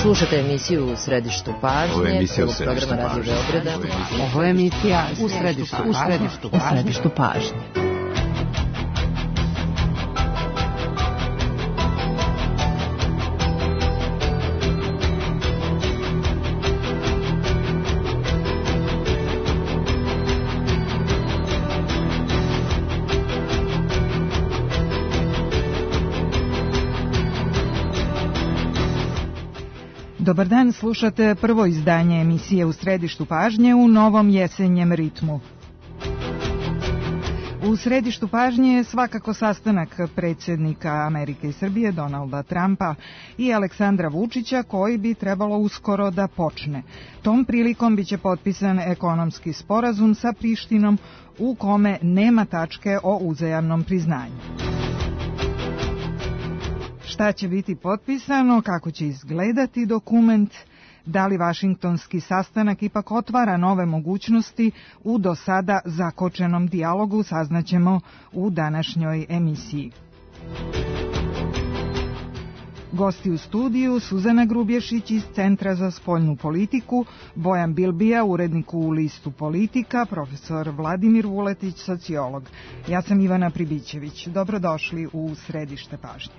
Slušate emisiju U središtu pažnje, prvog programa Radio Beograda. Ovo je emisija U središtu pažnje. Dobar dan, slušate prvo izdanje emisije U središtu pažnje u novom jesenjem ritmu. U središtu pažnje je svakako sastanak predsjednika Amerike i Srbije Donalda Trumpa i Aleksandra Vučića koji bi trebalo uskoro da počne. Tom prilikom biće potpisan ekonomski sporazum sa Prištinom u kome nema tačke o uzajamnom priznanju. Šta će biti potpisano, kako će izgledati dokument, da li vašingtonski sastanak ipak otvara nove mogućnosti u do sada zakočenom dijalogu, saznaćemo u današnjoj emisiji. Gosti u studiju Suzana Grubješić iz Centra za spoljnu politiku, Bojan Bilbija, urednik u listu Politika, profesor Vladimir Vuletić, sociolog. Ja sam Ivana Pribićević. Dobrodošli u središte pažnje.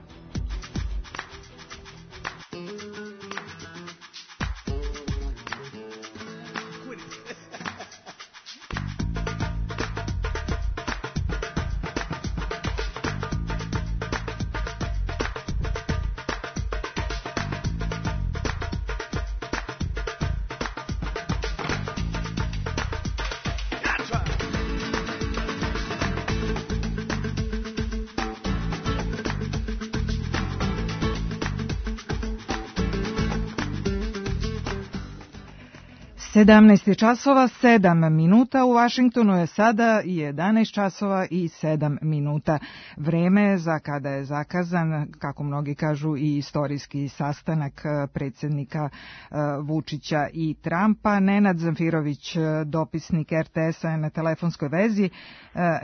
Sedamnaest časova 7 minuta, u Vašingtonu je sada 11 časova i 7 minuta. Vreme za kada je zakazan, kako mnogi kažu, i istorijski sastanak predsjednika Vučića i Trumpa. Nenad Zamfirović, dopisnik RTS-a, je na telefonskoj vezi.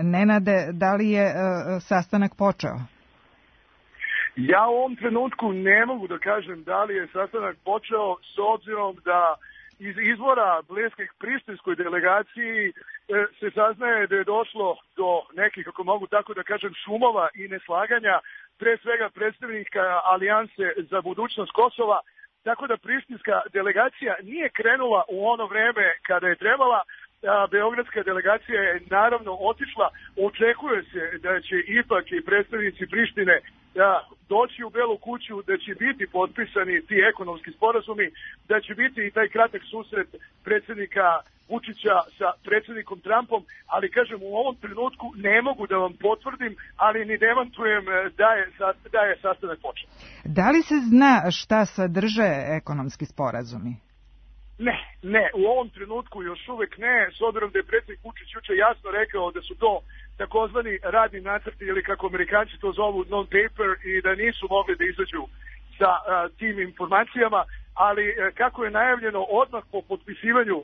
Nenade, da li je sastanak počeo? Ja u ovom trenutku ne mogu da kažem da li je sastanak počeo, s obzirom da iz izvora bliskih prištinskoj delegaciji se saznaje da je došlo do nekih, ako mogu tako da kažem, šumova i neslaganja, pre svega predstavnika Alijanse za budućnost Kosova, tako da prištinska delegacija nije krenula u ono vreme kada je trebala. Beogradska delegacija je naravno otišla. Očekuje se da će ipak i predstavnici Prištine doći u Belu kuću, da će biti potpisani ti ekonomski sporazumi, da će biti i taj kratak susret predsjednika Vučića sa predsjednikom Trumpom, ali kažem, u ovom trenutku ne mogu da vam potvrdim, ali ni demantujem da je sastanak počeo. Da li se zna šta sadrže ekonomski sporazumi? Ne, u ovom trenutku još uvek ne, s obzirom da je predsjednik Vučić juče jasno rekao da su to takozvani radni nacrti, ili kako Amerikanci to zovu non-paper, i da nisu mogli da izađu sa tim informacijama, ali kako je najavljeno, odmah po potpisivanju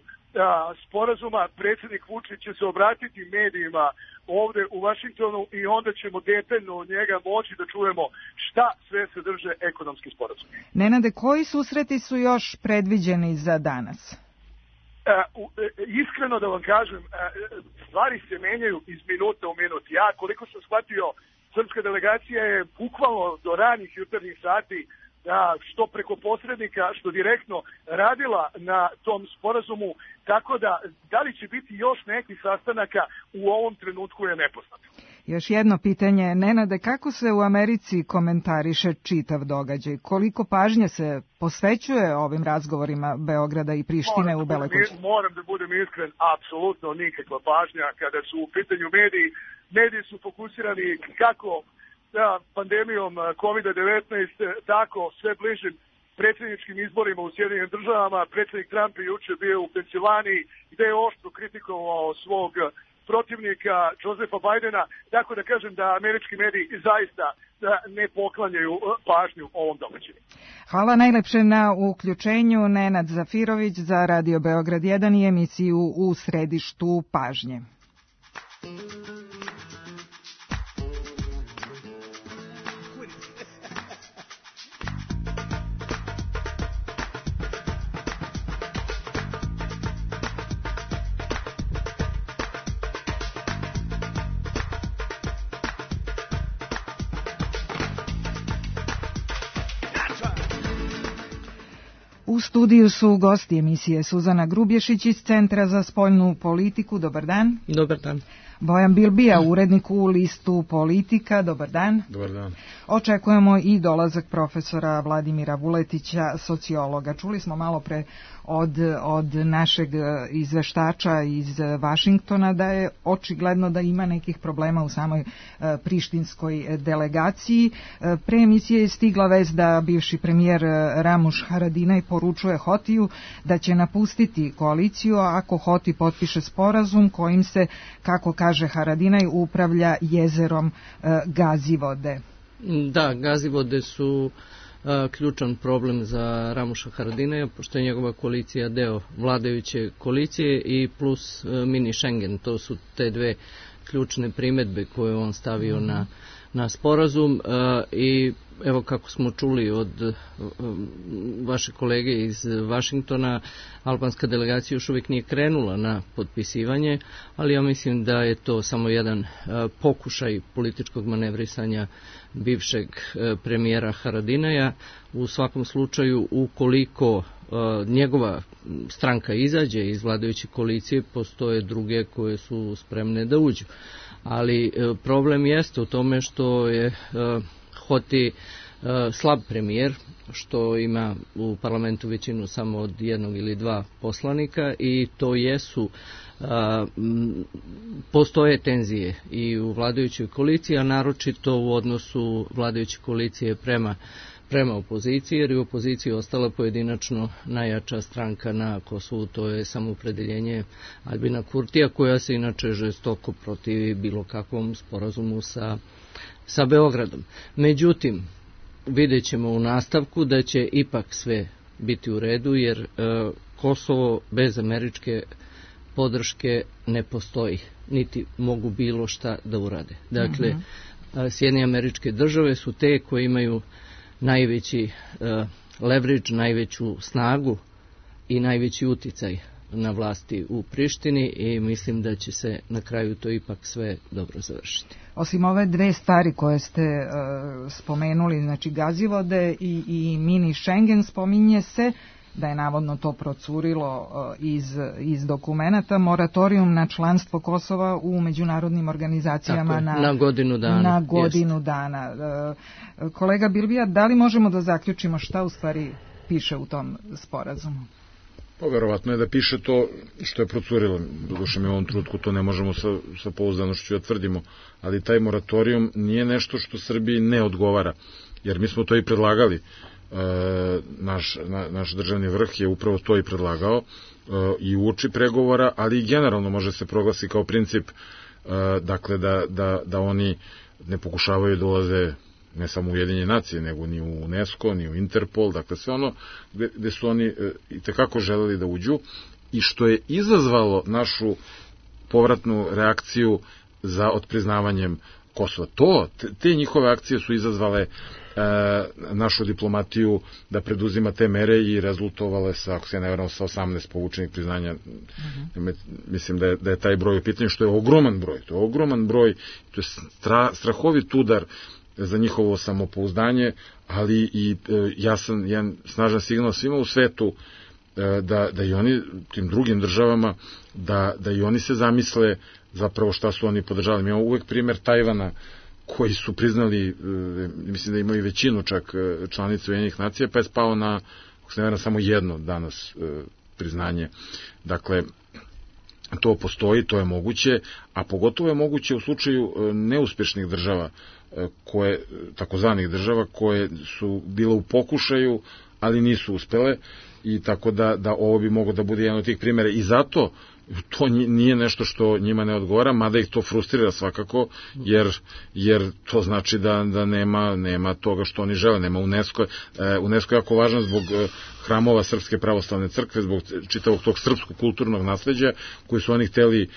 sporazuma predsjednik Vučić će se obratiti medijima ovde u Vašingtonu i onda ćemo detaljno od njega moći da čujemo šta sve sadrže ekonomski sporazum. Nenade, koji susreti su još predviđeni za danas? Iskreno da vam kažem, stvari se menjaju iz minuta u minut. Ja, koliko sam shvatio, srpska delegacija je bukvalno do ranih jutarnjih sati, što preko posrednika, što direktno radila na tom sporazumu, tako da li će biti još nekih sastanaka u ovom trenutku je nepoznato. Još jedno pitanje, Nenade, kako se u Americi komentariše čitav događaj? Koliko pažnje se posvećuje ovim razgovorima Beograda i Prištine u Beloj kući? Moram da budem iskren, apsolutno nikakva pažnja kada su u pitanju mediji. Mediji su fokusirani kako pandemijom COVID-19, tako sve bližim predsjedničkim izborima u Sjedinjenim državama. Predsjednik Trump je juče bio u Pensilvaniji gde je oštro kritikovao svog protivnika Josefa Bajdena, tako da kažem da američki mediji zaista ne poklanjaju pažnju ovom događaju. Hvala najlepše na uključenju. Nenad Zafirović za Radio Beograd 1 i emisiju U središtu pažnje. U studiju su gosti emisije Suzana Grubješić iz Centra za spoljnu politiku. Dobar dan. Dobar dan. Bojan Bilbija, urednik u listu Politika. Dobar dan. Dobar dan. Očekujemo i dolazak profesora Vladimira Vuletića, sociologa. Čuli smo malo pre od našeg izveštača iz Vašingtona da je očigledno da ima nekih problema u samoj prištinskoj delegaciji. Pre emisije je stigla vest da bivši premijer Ramuš Haradinaj poručuje Hotiju da će napustiti koaliciju ako Hoti potpiše sporazum kojim se, kako kaže Haradinaj, upravlja jezerom Gazivode. Da, Gazivode su ključan problem za Ramuša Haradinaja, pošto je njegova koalicija deo vladajuće koalicije i plus mini Schengen. To su te dve ključne primedbe koje on stavio na sporazum i evo kako smo čuli od vaše kolege iz Vašingtona, albanska delegacija još uvijek nije krenula na potpisivanje, ali ja mislim da je to samo jedan pokušaj političkog manevrisanja bivšeg premijera Haradinaja. U svakom slučaju, ukoliko njegova stranka izađe iz vladajuće koalicije, postoje druge koje su spremne da uđu. Ali problem jeste u tome što je Hoti slab premijer, što ima u parlamentu većinu samo od jednog ili dva poslanika i to postoje tenzije i u vladajućoj koaliciji, a naročito u odnosu vladajuće koalicije prema opoziciji, jer je u opoziciji ostala pojedinačno najjača stranka na Kosovu, to je Samoopredeljenje Albina Kurtija, koja se inače žestoko protivi bilo kakvom sporazumu sa Beogradom. Međutim, vidjet ćemo u nastavku da će ipak sve biti u redu, jer Kosovo bez američke podrške ne postoji, niti mogu bilo šta da urade. Dakle, Sjedinjene Američke Države su te koje imaju najveći leverage, najveću snagu i najveći uticaj na vlasti u Prištini i mislim da će se na kraju to ipak sve dobro završiti. Osim ove dve stvari koje ste spomenuli, znači Gazivode i mini Schengen, spominje se da je navodno to procurilo iz dokumenata, moratorijum na članstvo Kosova u međunarodnim organizacijama na godinu dana. Na godinu dana. Kolega Bilbija, da li možemo da zaključimo šta u stvari piše u tom sporazumu? Pa verovatno je da piše to što je procurilo. Doduše mi u ovom trenutku to ne možemo sa pouzdanošću da tvrdimo, ali taj moratorijum nije nešto što Srbiji ne odgovara, jer mi smo to i predlagali. Naš državni vrh je upravo to i predlagao i uoči pregovora, ali i generalno može se proglasi kao princip, dakle da oni ne pokušavaju da ulaze ne samo u Ujedinjene nacije, nego ni u UNESCO, ni u Interpol, dakle sve ono gde su oni itekako želeli da uđu i što je izazvalo našu povratnu reakciju za otpriznavanjem Kosova. Te njihove akcije su izazvale našu diplomatiju da preduzima te mere i rezultovale sa, ako se ne varam, sa 18 povučenih priznanja. Mislim da je taj broj u pitanju, što je ogroman broj. To je ogroman broj, to je strahovit udar za njihovo samopouzdanje, ali i jasan jedan snažan signal svima u svetu da i oni, tim drugim državama, da i oni se zamisle zapravo šta su oni podržali. Mi imamo uvek primer Tajvana, koji su priznali, mislim da imaju većinu čak članice Ujedinjenih nacija, pa je spao na, ako se ne varam, samo jedno danas priznanje. Dakle, to postoji, to je moguće, a pogotovo je moguće u slučaju neuspešnih država, takozvanih država koje su bile u pokušaju, ali nisu uspele, i tako da ovo bi moglo da bude jedan od tih primjera. I zato to nije nešto što njima ne odgovara, mada ih to frustrira svakako, jer to znači da nema toga što oni žele, nema UNESCO. UNESCO je jako važan zbog hramova Srpske pravoslavne crkve, zbog čitavog tog srpskog kulturnog nasleđa koji su oni hteli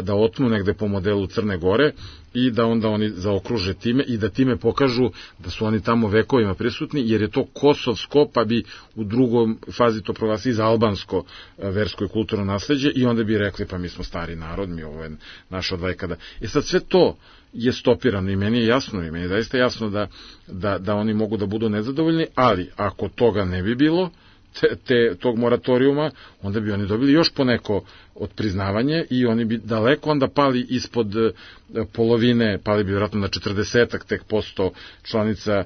da otmu negde po modelu Crne Gore i da onda oni zaokruže time i da time pokažu da su oni tamo vekovima prisutni, jer je to kosovsko, pa bi u drugom fazi to proglasili za albansko versko i kulturno nasleđe i onda bi rekli pa mi smo stari narod, mi ovo je naša odvajkada. Sad sve to je stopirano i meni je jasno, i meni je zaista jasno da oni mogu da budu nezadovoljni, ali ako toga ne bi bilo, tog moratorijuma, onda bi oni dobili još poneko od priznavanje i oni bi daleko onda pali ispod polovine, pali bi vjerojatno na 40% tek posto članica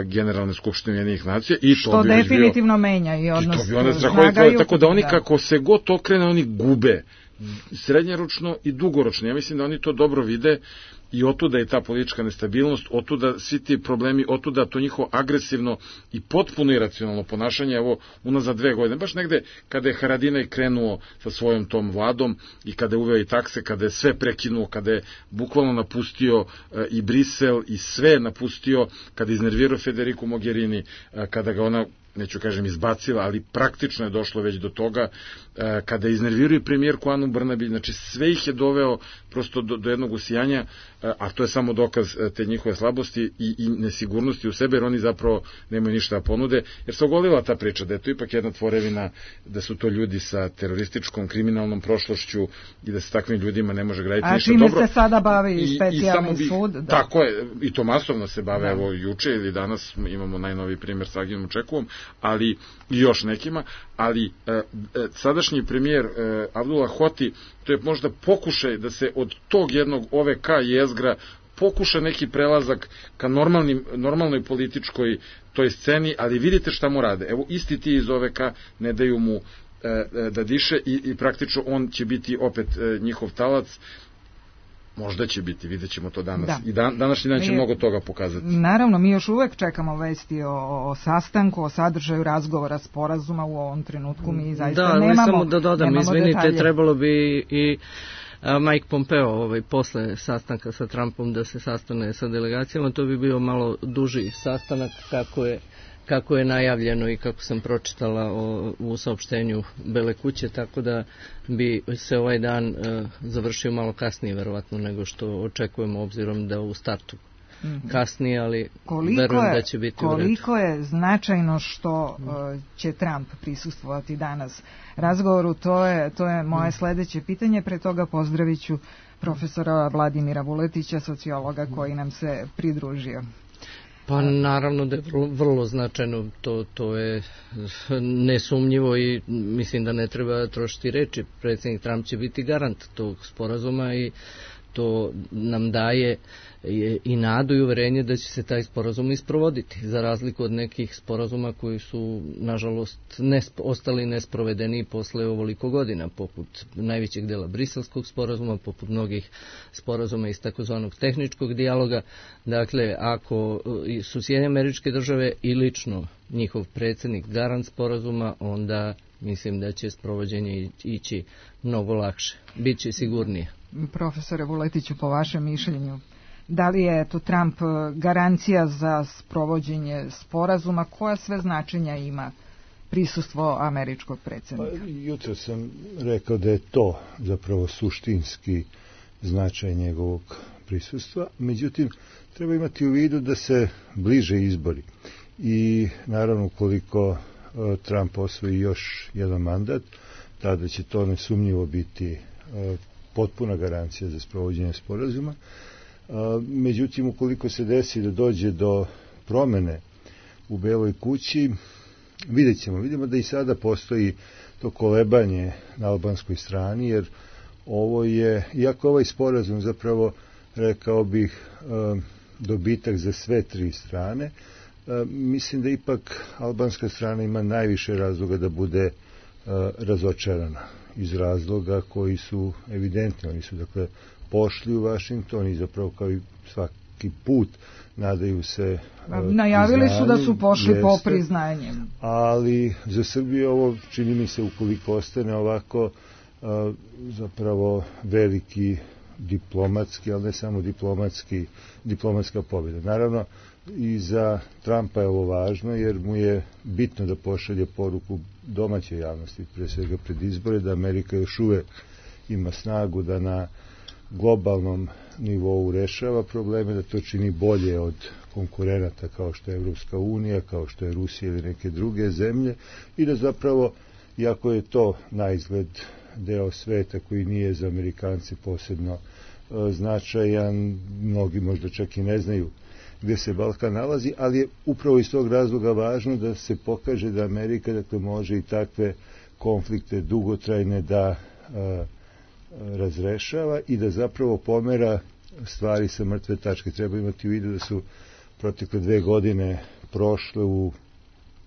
Generalne skupštine Ujedinjenih nacija. I što to bi definitivno menja i odnos. To bi onda strahovito, tako da oni kako se god okrene, oni gube srednjeročno i dugoročno. Ja mislim da oni to dobro vide i otuda je ta politička nestabilnost, otuda svi ti problemi, otuda to njihovo agresivno i potpuno iracionalno ponašanje, evo, unazad 2 godine, baš negde kada je Haradinaj krenuo sa svojom tom vladom i kada je uveo i takse, kada je sve prekinuo, kada je bukvalno napustio i Brisel i sve napustio, kada je iznervirao Federiku Mogherini, kada ga ona, neću kažem izbacila, ali praktično je došlo već do toga, kada je iznervirao i premijerku Anu Brnabić, znači sve ih je doveo prosto do jednog usijanja, a to je samo dokaz te njihove slabosti i nesigurnosti u sebe, jer oni zapravo nemaju ništa da ponude, jer se ogolila ta priča da je to ipak jedna tvorevina, da su to ljudi sa terorističkom, kriminalnom prošlošću i da se takvim ljudima ne može graditi ništa dobro. A čime se sada bavi specijalni sud? Da. Tako je, i to masovno se bave, evo juče ili danas imamo najnoviji primjer sa Aginom Čekovom, ali i još nekima, ali sadašnji premijer Abdullah Hoti, to je možda pokušaj da se od tog jednog OVK jezgra pokuša neki prelazak ka normalnoj političkoj toj sceni, ali vidite šta mu rade. Evo, isti ti iz OVK ne daju mu da diše i praktično on će biti opet njihov talac. Možda će biti, vidjet ćemo to danas. Da. I današnji dan će mnogo toga pokazati. Naravno, mi još uvek čekamo vesti o sastanku, o sadržaju razgovora, sporazuma u ovom trenutku. Mi zaista nemamo samo da dodam, izvinite, detalje. Trebalo bi i Mike Pompeo posle sastanka sa Trumpom da se sastane sa delegacijama. To bi bio malo duži sastanak kako je najavljeno i kako sam pročitala u saopštenju Bele kuće, tako da bi se ovaj dan završio malo kasnije verovatno nego što očekujemo, obzirom da u startu kasnije, ali verujem da će biti u redu. Koliko je značajno što će Trump prisustvovati danas razgovoru, to je moje sledeće pitanje. Pre toga pozdravit ću profesora Vladimira Vuletića, sociologa koji nam se pridružio. Pa naravno da je vrlo značajno, to je nesumnjivo i mislim da ne treba trošiti reči. Predsjednik Trump će biti garant tog sporazuma i to nam daje i nadu i uverenje da će se taj sporazum isprovoditi, za razliku od nekih sporazuma koji su, nažalost, ostali nesprovedeni posle ovoliko godina, poput najvećeg dela briselskog sporazuma, poput mnogih sporazuma iz takozvanog tehničkog dijaloga. Dakle, ako su Sjedinjene Američke Države i lično njihov predsjednik garant sporazuma, onda mislim da će sprovođenje ići mnogo lakše, bit će sigurnije. Profesore Vuletiću, po vašem mišljenju, da li je to Trump garancija za sprovođenje sporazuma? Koja sve značenja ima prisustvo američkog predsjednika? Pa, jutro sam rekao da je to zapravo suštinski značaj njegovog prisustva. Međutim, treba imati u vidu da se bliže izbori. I naravno, koliko Trump osvoji još jedan mandat, tada će to nesumnjivo biti potpuna garancija za sprovođenje sporazuma. Međutim, ukoliko se desi da dođe do promene u Beloj kući, vidimo da i sada postoji to kolebanje na albanskoj strani, jer ovo je, iako ovaj sporazum zapravo, rekao bih, dobitak za sve tri strane, mislim da ipak albanska strana ima najviše razloga da bude razočarana, iz razloga koji su evidentni. Oni su, dakle, pošli u Vašington i zapravo kao i svaki put nadaju se najavili su da su pošli po priznanjem. Ali za Srbiju ovo, čini mi se, ukoliko ostane ovako, zapravo veliki diplomatski, ali ne samo diplomatska pobjeda. Naravno, i za Trumpa je ovo važno, jer mu je bitno da pošalje poruku domaćoj javnosti, pre svega pred izbore, da Amerika još uvek ima snagu da na globalnom nivou rešava probleme, da to čini bolje od konkurenata kao što je Evropska unija, kao što je Rusija ili neke druge zemlje, i da zapravo, iako je to na izgled deo sveta koji nije za Amerikance posebno značajan, mnogi možda čak i ne znaju gde se Balkan nalazi, ali je upravo iz tog razloga važno da se pokaže da Amerika, dakle, može i takve konflikte dugotrajne da razrešava i da zapravo pomera stvari sa mrtve tačke. Treba imati u vidu da su protekle 2 godine prošle u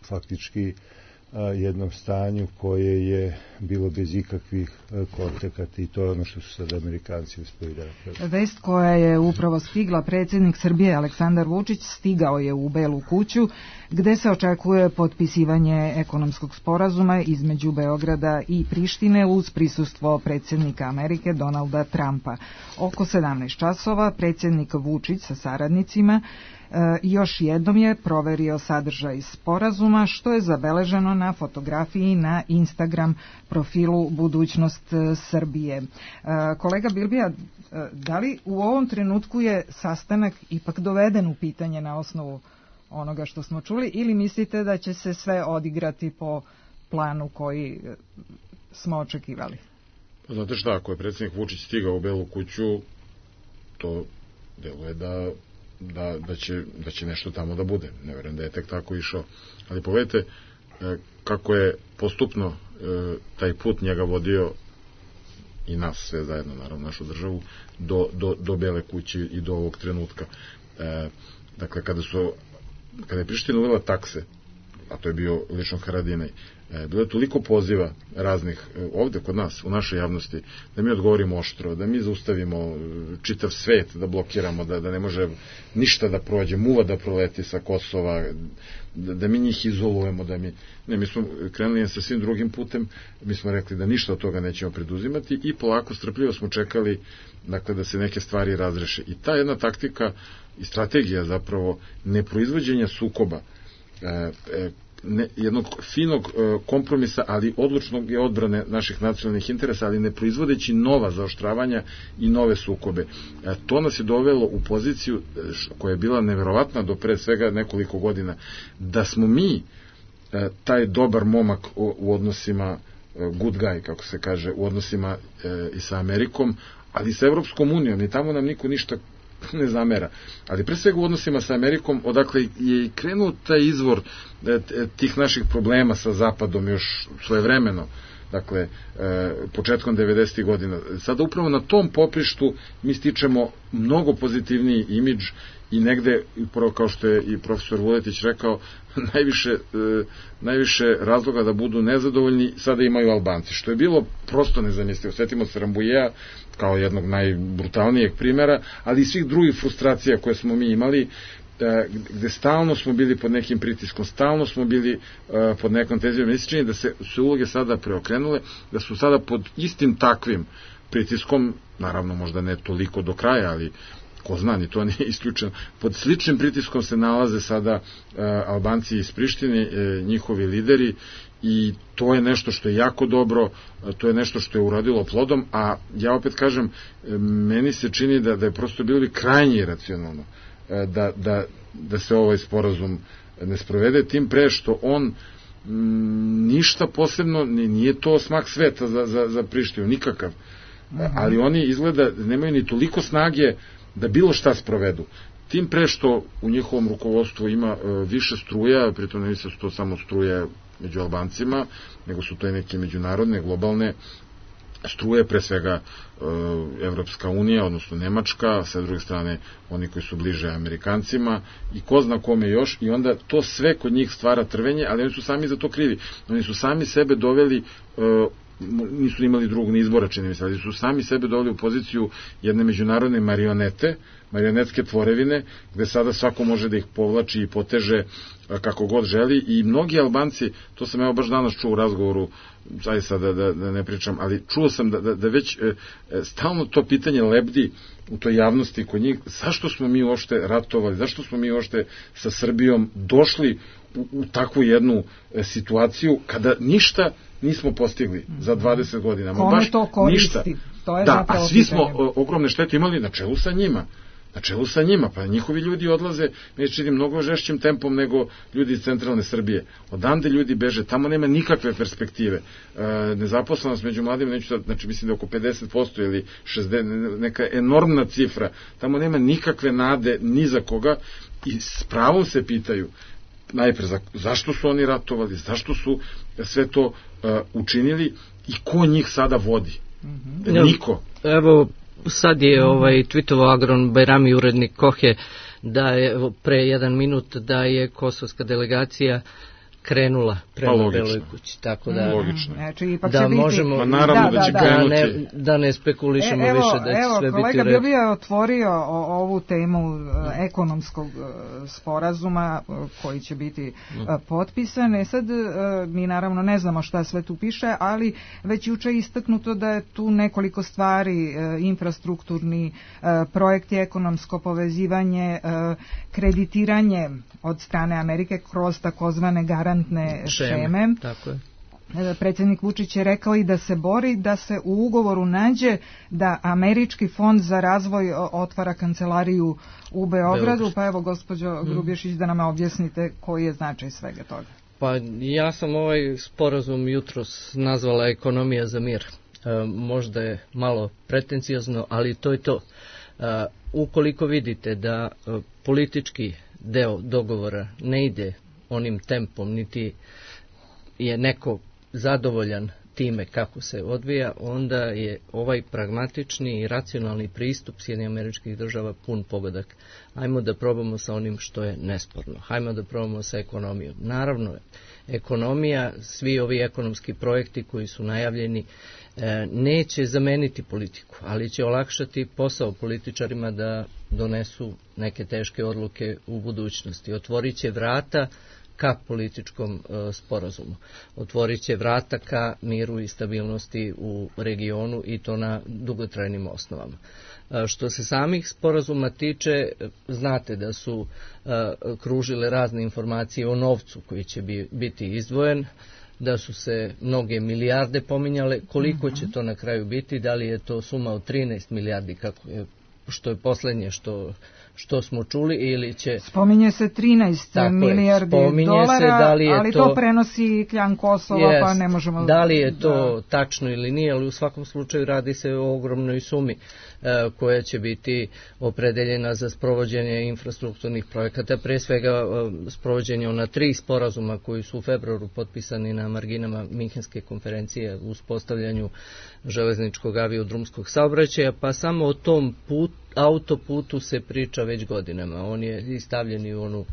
faktički jednom stanju koje je bilo bez ikakvih kontakata i to je ono što su sad Amerikanci uspeli da napravi. Vest koja je upravo stigla, predsjednik Srbije Aleksandar Vučić stigao je u Belu kuću gde se očekuje potpisivanje ekonomskog sporazuma između Beograda i Prištine uz prisustvo predsjednika Amerike Donalda Trumpa. Oko 17 časova predsjednik Vučić sa saradnicima još jednom je proverio sadržaj sporazuma, što je zabeleženo na fotografiji na Instagram profilu Budućnost Srbije. Kolega Bilbija, da li u ovom trenutku je sastanak ipak doveden u pitanje na osnovu onoga što smo čuli ili mislite da će se sve odigrati po planu koji smo očekivali? Znate šta, ako je predsjednik Vučić stigao u Belu kuću, to deluje da će nešto tamo da bude. Ne verujem da je tek tako išao. Ali pogledajte kako je postupno taj put njega vodio i nas sve zajedno, naravno našu državu, do Bele kuće i do ovog trenutka. Dakle, kada je Priština uvela takse, a to je bio lično Haradinaj, bilo je toliko poziva raznih ovde kod nas, u našoj javnosti, da mi odgovorimo oštro, da mi zaustavimo čitav svet, da blokiramo, da ne može ništa da prođe, muva da proleti sa Kosova, da mi njih izolujemo, mi smo krenuli sa svim drugim putem, mi smo rekli da ništa od toga nećemo preduzimati i polako strpljivo smo čekali, dakle, da se neke stvari razreše. I ta jedna taktika i strategija zapravo neproizvođenja sukoba, jednog finog kompromisa, ali odlučnog je odbrane naših nacionalnih interesa, ali ne proizvodeći nova zaoštravanja i nove sukobe. To nas je dovelo u poziciju koja je bila neverovatna do pre svega nekoliko godina, da smo mi taj dobar momak u odnosima, good guy, kako se kaže, u odnosima i sa Amerikom, ali i sa Evropskom unijom, i tamo nam niko ništa ne zamera. Ali pre svega u odnosima sa Amerikom, odakle je krenuo taj izvor tih naših problema sa Zapadom još svojevremeno, dakle, početkom 90. godina. Sada upravo na tom poprištu mi stičemo mnogo pozitivniji imidž i negde, upravo kao što je i profesor Vuletić rekao, najviše razloga da budu nezadovoljni sada imaju Albanci, što je bilo prosto nezamislivo. Sjetimo se Rambujea kao jednog najbrutalnijeg primjera, ali i svih drugih frustracija koje smo mi imali, gde stalno smo bili pod nekim pritiskom, stalno smo bili pod nekom tenzijom. Mi se čini da se uloge sada preokrenule, da su sada pod istim takvim pritiskom, naravno možda ne toliko do kraja, ali ko zna, ni to nije isključeno. Pod sličnim pritiskom se nalaze sada Albanci iz Prištine, njihovi lideri, i to je nešto što je jako dobro, to je nešto što je uradilo plodom, a ja opet kažem, meni se čini da je prosto bilo krajnje iracionalno da se ovaj sporazum ne sprovede, tim pre što on ništa posebno, nije to smak sveta za Prištinu, nikakav, ali oni izgleda nemaju ni toliko snage da bilo šta sprovedu. Tim pre što u njihovom rukovodstvu ima više struja, pritom ne misle su to samo struje među Albancima, nego su to i neke međunarodne, globalne struje, pre svega Evropska unija, odnosno Nemačka, sa druge strane oni koji su bliže Amerikancima i ko zna kome još, i onda to sve kod njih stvara trvenje, ali oni su sami za to krivi. Oni su sami sebe doveli, nisu imali drugog ni izbora, čini mi se, ali su sami sebe doveli u poziciju jedne međunarodne marionetske tvorevine, gde sada svako može da ih povlači i poteže kako god želi, i mnogi Albanci, to sam evo baš danas čuo u razgovoru, zaista da ne pričam, ali čuo sam da već stalno to pitanje lebdi u toj javnosti kod njih, zašto smo mi uopšte ratovali, zašto smo mi uopšte sa Srbijom došli u takvu jednu situaciju kada ništa nismo postigli za 20 godina. Kome to koristi? To je da, a svi smo ogromne štete imali na čelu sa njima. na čelu sa njima, pa njihovi ljudi odlaze, mi čini mnogo žešćim tempom nego ljudi iz centralne Srbije. Odande ljudi beže, tamo nema nikakve perspektive. Nezaposlenost među mladima, znači mislim da oko 50% ili 60%, neka enormna cifra, tamo nema nikakve nade ni za koga i s pravom se pitaju najpre zašto su oni ratovali, zašto su sve to učinili i ko njih sada vodi. Niko. Evo, sad je tweetovao Agron Bajrami, urednik Kohe, da je pre 1 minut da je kosovska delegacija krenula prema Beloj kući, tako da znači, ipak da možemo pa naravno da će krenuti. Da ne spekulišemo više da će sve biti u redu. Kolega Bilija je otvorio ovu temu ekonomskog sporazuma koji će biti potpisan. Sad mi naravno ne znamo šta sve tu piše, ali već juče je istaknuto da je tu nekoliko stvari, infrastrukturni projekti, ekonomsko povezivanje, kreditiranje od strane Amerike kroz takozvane garantne šeme. Tako je. Predsjednik Vučić je rekao i da se bori da se u ugovoru nađe da Američki fond za razvoj otvara kancelariju u Beogradu. Pa evo, gospođo Grubješić, da nam objasnite koji je značaj svega toga. Pa ja sam ovaj sporazum jutros nazvala ekonomija za mir. Možda je malo pretencijozno, ali to je to. Ukoliko vidite da politički deo dogovora ne ide onim tempom, niti je neko zadovoljan time kako se odvija, onda je ovaj pragmatični i racionalni pristup Sjedinjenih Američkih Država pun pogodak. Hajmo da probamo sa onim što je nesporno. Hajmo da probamo sa ekonomijom. Naravno, ekonomija, svi ovi ekonomski projekti koji su najavljeni neće zameniti politiku, ali će olakšati posao političarima da donesu neke teške odluke u budućnosti. Otvorit će vrata ka političkom sporazumu. Otvorit će vrata ka miru i stabilnosti u regionu i to na dugotrajnim osnovama. Što se samih sporazuma tiče, znate da su kružile razne informacije o novcu koji će biti izdvojen, da su se mnoge milijarde pominjale, koliko će to na kraju biti, da li je to suma od 13 milijardi, što je poslednje što smo čuli, ili će... Spominje se 13 milijardi dolara, ali to prenosi kljan Kosova, pa ne možemo... Da li je to tačno ili nije, ali u svakom slučaju radi se o ogromnoj sumi koja će biti opredeljena za sprovođenje infrastrukturnih projekata, pre svega sprovođenje ona 3 sporazuma koji su u februaru potpisani na marginama Minhenske konferencije u uspostavljanju železničkog aviodrumskog saobraćaja, pa samo o tom autoputu se priča već godinama. On je stavljen u onu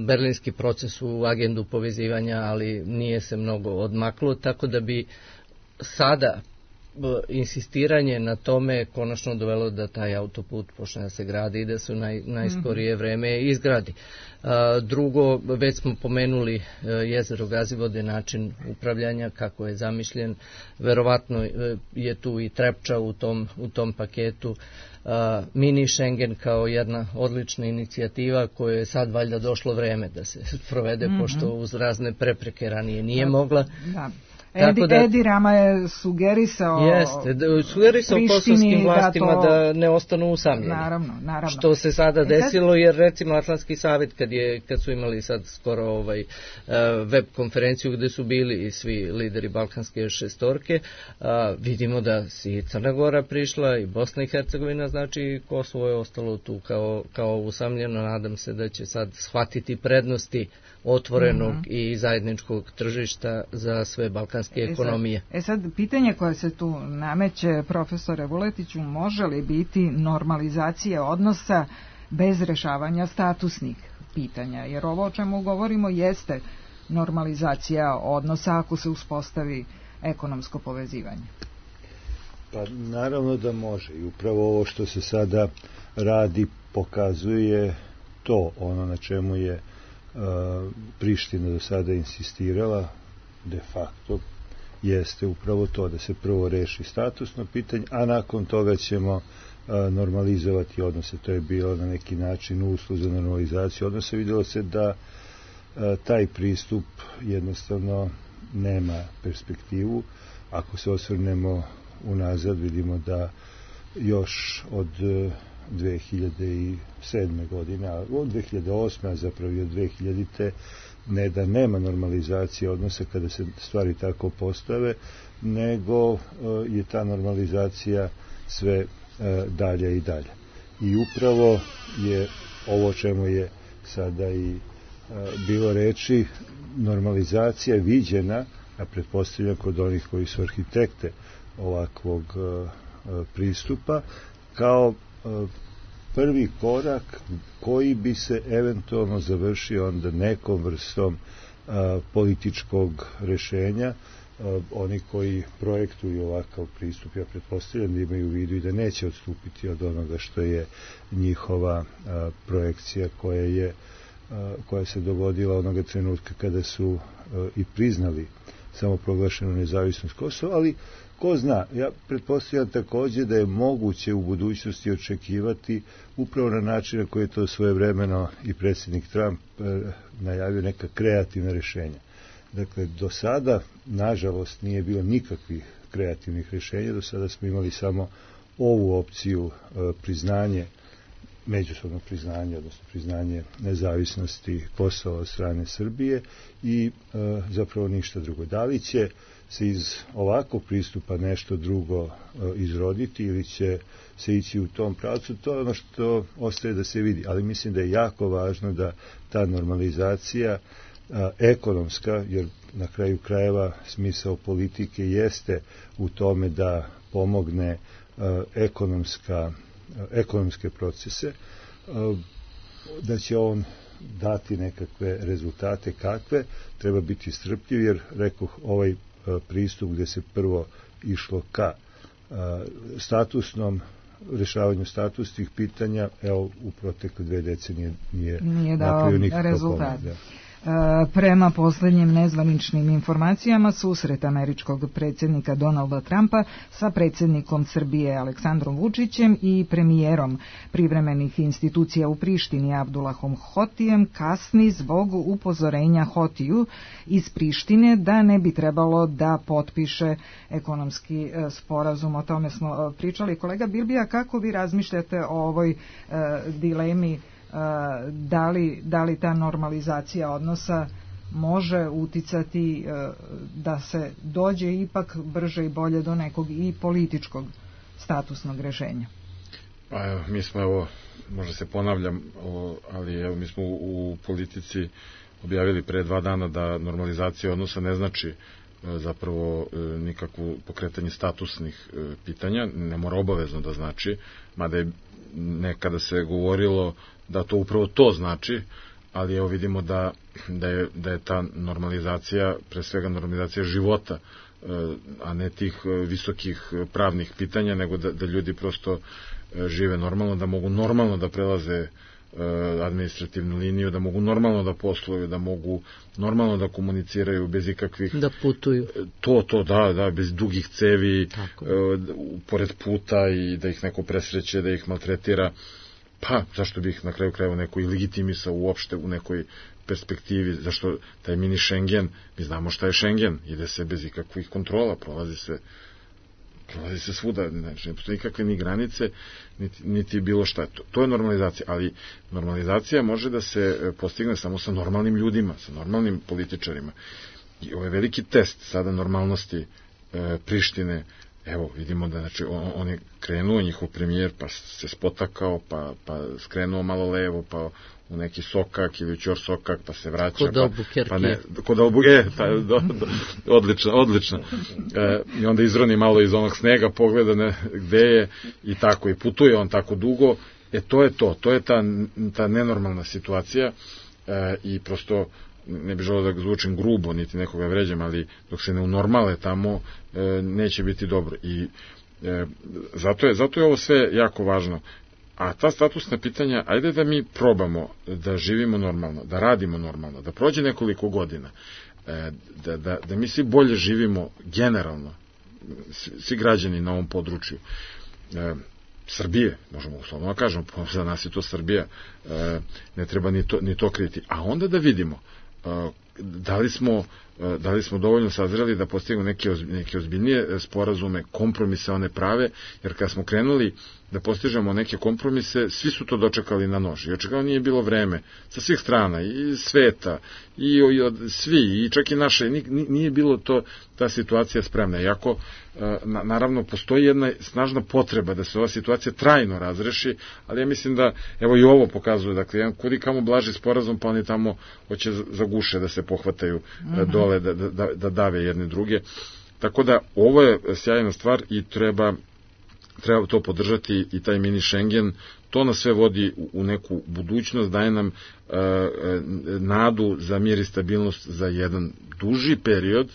berlinski proces, u agendu povezivanja, ali nije se mnogo odmaklo, tako da bi sada insistiranje na tome konačno dovelo da taj autoput počne da se gradi i da se u najskorije vreme izgradi. Drugo, već smo pomenuli jezero Gazivode, način upravljanja, kako je zamišljen. Verovatno je tu i Trepča u tom paketu. Mini Schengen kao jedna odlična inicijativa koja je sad valjda došlo vreme da se provede, pošto uz razne prepreke ranije nije mogla. Da. Edi Rama je sugerisao kosovskim vlastima da ne ostanu usamljeni. Naravno. Što se sada desilo, jer recimo Atlantski savjet kad su imali sad skoro web konferenciju gde su bili i svi lideri Balkanske šestorke, vidimo da si Crna Gora prišla i Bosna i Hercegovina, znači Kosovo je ostalo tu kao usamljeno. Nadam se da će sad shvatiti prednosti otvorenog i zajedničkog tržišta za sve balkanske ekonomije. Sad, pitanje koje se tu nameće, profesore Vuletiću, može li biti normalizacija odnosa bez rešavanja statusnih pitanja? Jer ovo o čemu govorimo jeste normalizacija odnosa ako se uspostavi ekonomsko povezivanje. Pa naravno da može, i upravo ovo što se sada radi pokazuje to, ono na čemu je Priština do sada insistirala de facto jeste upravo to, da se prvo reši statusno pitanje, a nakon toga ćemo normalizovati odnose. To je bilo na neki način uslov za normalizaciju odnose. Vidjelo se da taj pristup jednostavno nema perspektivu. Ako se osvrnemo unazad, vidimo da još od 2007. godine, a od 2008. a zapravo i od 2000. ne da nema normalizacije odnosa kada se stvari tako postave, nego je ta normalizacija sve dalje i dalje. I upravo je ovo čemu je sada i bilo reči, normalizacija viđena, a pretpostavljam kod onih koji su arhitekte ovakvog pristupa, kao prvi korak koji bi se eventualno završio onda nekom vrstom političkog rešenja. Oni koji projektuju ovakav pristup, ja pretpostavljam da imaju u vidu i da neće odstupiti od onoga što je njihova projekcija koja se dogodila onoga trenutka kada su i priznali samoproglašenu nezavisnost Kosova, ali ko zna, ja pretpostavljam takođe da je moguće u budućnosti očekivati upravo na način na koji je to svojevremeno i predsjednik Trump najavio neka kreativna rešenja. Dakle, do sada, nažalost, nije bilo nikakvih kreativnih rešenja, do sada smo imali samo ovu opciju priznanje, međusobno priznanje, odnosno priznanje nezavisnosti Kosova od strane Srbije i zapravo ništa drugo. Da li će se iz ovakvog pristupa nešto drugo izroditi ili će se ići u tom pravcu, to je ono što ostaje da se vidi. Ali mislim da je jako važno da ta normalizacija ekonomska, jer na kraju krajeva smisao politike jeste u tome da pomogne ekonomske procese, da će on dati nekakve rezultate kakve, treba biti strpljiv, jer rekoh ovaj pristup gde se prvo išlo ka rešavanju statusnih pitanja, evo u protekle 2 decenije nije napravio nikakav rezultat. Prema poslednjim nezvaničnim informacijama, susret američkog predsjednika Donalda Trumpa sa predsjednikom Srbije Aleksandrom Vučićem i premijerom privremenih institucija u Prištini Abdulahom Hotijem kasni zbog upozorenja Hotiju iz Prištine da ne bi trebalo da potpiše ekonomski sporazum. O tome smo pričali. Kolega Bilbija, kako vi razmišljate o ovoj dilemi? Da li ta normalizacija odnosa može uticati da se dođe ipak brže i bolje do nekog i političkog statusnog rešenja? Pa evo, mi smo, možda se ponavljam, ali mi smo u politici objavili pre 2 dana da normalizacija odnosa ne znači zapravo nikakvu pokretanje statusnih pitanja, ne mora obavezno da znači, mada je nekada se govorilo da to upravo to znači, ali evo vidimo da je ta normalizacija, pre svega normalizacija života, a ne tih visokih pravnih pitanja, nego da ljudi prosto žive normalno, da mogu normalno da prelaze administrativnu liniju, da mogu normalno da posluju, da mogu normalno da komuniciraju bez ikakvih... Da putuju. Da, bez dugih cevi, pored puta i da ih neko presreće, da ih maltretira. Pa, zašto bi ih na kraju krajeva neko i legitimisao uopšte u nekoj perspektivi, zašto taj mini Schengen, mi znamo šta je Schengen, ide se bez ikakvih kontrola, prolazi se svuda, znači ne postoji nikakve ni granice, niti bilo šta. To je normalizacija, ali normalizacija može da se postigne samo sa normalnim ljudima, sa normalnim političarima. I ovo je veliki test sada normalnosti Prištine. Evo, vidimo da on je krenuo, njihov premijer, pa se spotakao, pa skrenuo malo levo, pa u neki sokak ili ćor sokak, pa se vraća. Kod Albuquerque. Kod Albuquerque, odlično. I onda izroni malo iz onog snega, pogleda gde je i tako, i putuje on tako dugo. To je ta nenormalna situacija i prosto ne bih želeo da zvučim grubo, niti nekoga vređam, ali dok se ne unormale tamo, neće biti dobro. I zato je ovo sve jako važno. A ta statusna pitanja, ajde da mi probamo da živimo normalno, da radimo normalno, da prođe nekoliko godina, da mi svi bolje živimo generalno, svi građani na ovom području. Srbije, možemo uslovno da kažemo, za nas je to Srbija, ne treba ni to kriti. A onda da vidimo da li smo dovoljno sazreli da postignemo neke ozbiljnije sporazume, kompromise one prave, jer kad smo krenuli da postižemo neke kompromise, svi su to dočekali na nož. I očekavno nije bilo vreme sa svih strana, i sveta, i od svi, i čak i naše, nije bilo ta situacija spremna. Iako, naravno, postoji jedna snažna potreba da se ova situacija trajno razreši, ali ja mislim da, evo i ovo pokazuje, dakle, jedan kudi kamo blaži sporazum, pa oni tamo hoće za guše da se pohvataju dole, da dave jedne druge. Tako da, ovo je sjajna stvar i treba to podržati, i taj mini Schengen, to nas sve vodi u neku budućnost, daje nam nadu za mir i stabilnost za jedan duži period,